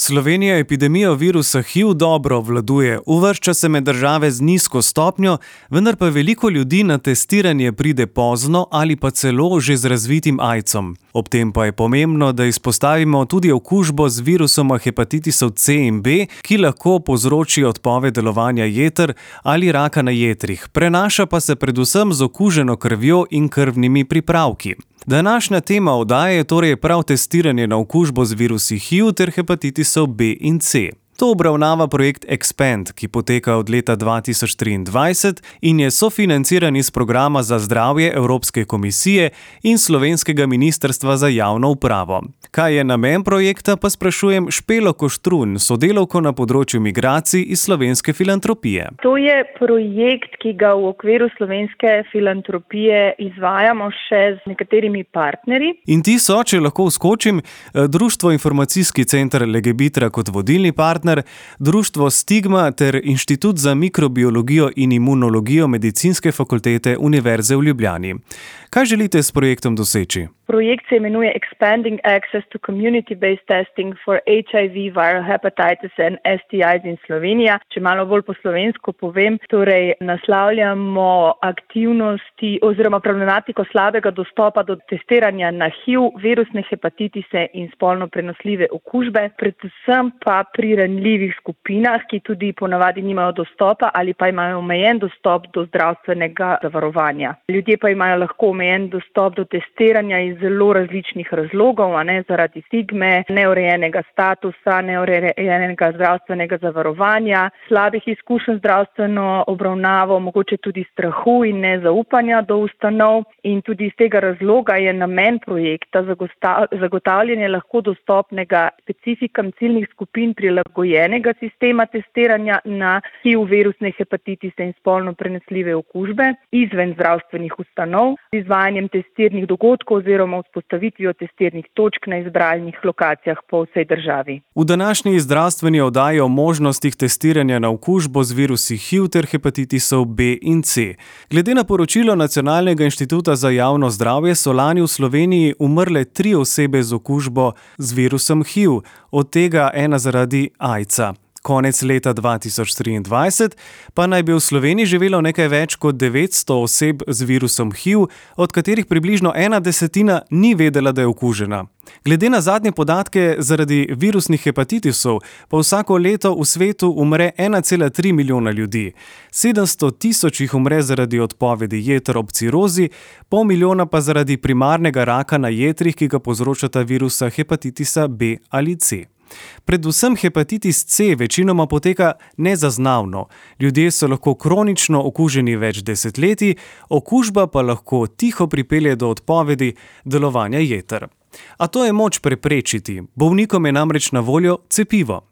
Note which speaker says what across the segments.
Speaker 1: Slovenija epidemijo virusa HIV dobro obvladuje, uvršča se med države z nizko stopnjo, vendar pa veliko ljudi na testiranje pride pozno ali pa celo že z razvitim AIDS-om. Ob tem pa je pomembno, da izpostavimo tudi okužbo z virusoma hepatitisov C in B, ki lahko povzroči odpoved delovanja jeter ali raka na jetrih, prenaša pa se predvsem z okuženo krvjo in krvnimi pripravki. Današnja tema oddaje je torej prav testiranje na okužbo z virusi HIV ter hepatitisov B in C. To obravnava projekt Expand, ki poteka od leta 2023 in je sofinanciran iz programa za zdravje Evropske komisije in Slovenskega ministrstva za javno upravo. Kaj je namen projekta, pa sprašujem Špelo Koštrun, sodelavko na področju migracij iz Slovenske filantropije.
Speaker 2: To je projekt, ki ga v okviru Slovenske filantropije izvajamo še z nekaterimi partnerji.
Speaker 1: In ti so, če lahko vskočim, Društvo Informacijski center Legebitra kot vodilni partner, Društvo Stigma ter Inštitut za mikrobiologijo in imunologijo Medicinske fakultete Univerze v Ljubljani. Kaj želite s projektom doseči?
Speaker 2: Projekt se imenuje Expanding Access to Community-Based Testing for HIV, Viral Hepatitis and STIs in Slovenija. Če malo bolj po slovensko povem, torej naslavljamo aktivnosti oziroma problematiko slabega dostopa do testiranja na HIV, virusne hepatitise in spolno prenosljive okužbe, predvsem pa pri ranljivih skupinah, ki tudi ponavadi nimajo dostopa ali pa imajo omejen dostop do zdravstvenega zavarovanja. Ljudje pa imajo lahko omejen dostop do testiranja iz zelo različnih razlogov, zaradi stigme, neurejenega statusa, neurejenega zdravstvenega zavarovanja, slabih izkušenj zdravstveno obravnavo, mogoče tudi strahu in nezaupanja do ustanov. In tudi iz tega razloga je namen projekta zagotavljanje lahko dostopnega specifikam ciljnih skupin prilagojenega sistema testiranja na HIV, virusne hepatitise in spolno prenosljive okužbe izven zdravstvenih ustanov z izvajanjem testirnih dogodkov oziroma vzpostavitvijo testirnih točk na izbranih lokacijah po vsej državi.
Speaker 1: V današnji zdravstveni oddaji o možnostih testiranja na okužbo z virusi HIV ter hepatitisov B in C. Glede na poročilo Nacionalnega inštituta za javno zdravje so lani v Sloveniji umrle 3 osebe z okužbo z virusom HIV, od tega ena zaradi AIDS-a. Konec leta 2023 pa naj bi v Sloveniji živelo nekaj več kot 900 oseb z virusom HIV, od katerih približno 1/10 ni vedela, da je okužena. Glede na zadnje podatke, zaradi virusnih hepatitisov pa vsako leto v svetu umre 1,3 milijona ljudi. 700 000 jih umre zaradi odpovedi jeter ob cirozi, pol milijona pa zaradi primarnega raka na jetrih, ki ga povzročata virusa hepatitisa B ali C. Predvsem hepatitis C večinoma poteka nezaznavno. Ljudje so lahko kronično okuženi več desetletij, okužba pa lahko tiho pripelje do odpovedi delovanja jeter. A to je moč preprečiti. Bolnikom je namreč na voljo cepivo.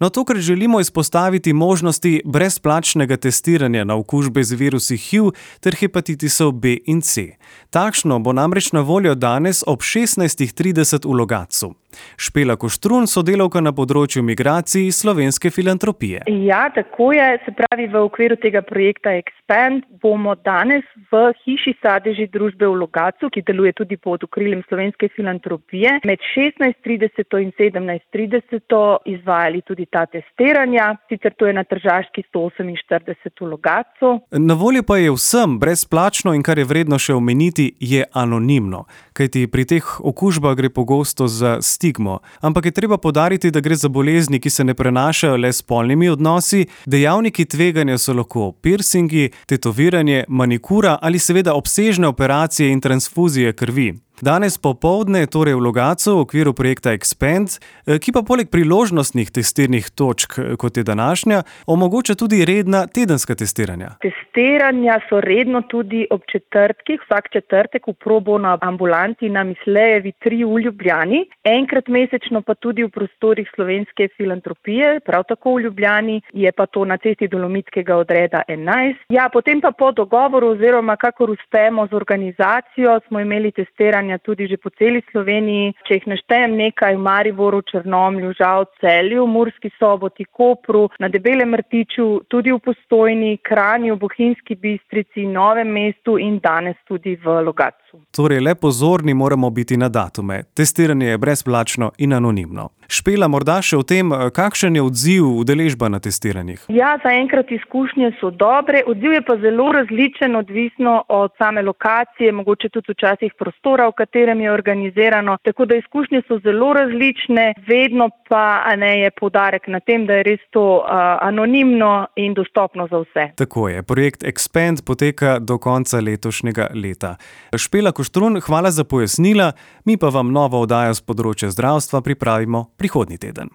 Speaker 1: No, tokrat želimo izpostaviti možnosti brezplačnega testiranja na okužbe z virusi HIV ter hepatitisov B in C. Takšno bo namreč na voljo danes ob 16:30 v Logatcu. Špela Koštrun, sodelavka na področju migracij iz Slovenske filantropije.
Speaker 2: Ja, tako je. Se pravi, v okviru tega projekta Expand bomo danes v hiši sadeži družbe v Logatcu, ki deluje tudi pod okriljem Slovenske filantropije, med 16:30 in 17:30 izvajali tudi ta testiranja. Sicer to je na Tržaški 148 v Logatcu.
Speaker 1: Na voljo pa je vsem brezplačno in kar je vredno še omeniti, je anonimno. Kajti pri teh okužbah gre pogosto za stigmo. Ampak je treba poudariti, da gre za bolezni, ki se ne prenašajo le s spolnimi odnosi. Dejavniki tveganja so lahko piercingi, tetoviranje, manikura ali seveda obsežne operacije in transfuzije krvi. Danes popoldne, torej v Logatcu, v okviru projekta Expand, ki pa poleg priložnostnih testirnih točk, kot je današnja, omogoča tudi redna tedenska testiranja.
Speaker 2: Testiranja so redno tudi ob četrtkih, vsak četrtek v pro bono ambulanti na Mislejevi 3 v Ljubljani, enkrat mesečno pa tudi v prostorih Slovenske filantropije, prav tako v Ljubljani, je pa to na cesti Dolomitskega odreda 11. Ja, potem pa po dogovoru oziroma kakor uspemo z organizacijo, smo imeli testiranje tudi že po celi Sloveniji. Če jih naštejem nekaj, v Mariboru, Črnomlju, Žalcu, Celju, Murski Soboti, Kopru, na Debelem Rtiču, tudi v Postojni, Kranju, Bohinjski Bistrici, Novem mestu in danes tudi v Logatcu. času.
Speaker 1: Torej, le pozorni moramo biti na datume. Testiranje je brezplačno in anonimno. Špela, morda še o tem, kakšen je odziv, udeležba na testiranjih?
Speaker 2: Ja, zaenkrat izkušnje so dobre. Odziv je pa zelo različen, odvisno od same lokacije, mogoče tudi včasih prostora, v katerem je organizirano. Tako da izkušnje so zelo različne, vedno pa je poudarek na tem, da je res to anonimno in dostopno za vse.
Speaker 1: Tako je. Projekt Expand poteka do konca letošnjega leta. Špela Koštrun, hvala za pojasnila, mi pa vam novo oddajo z področja zdravstva pripravimo prihodnji teden.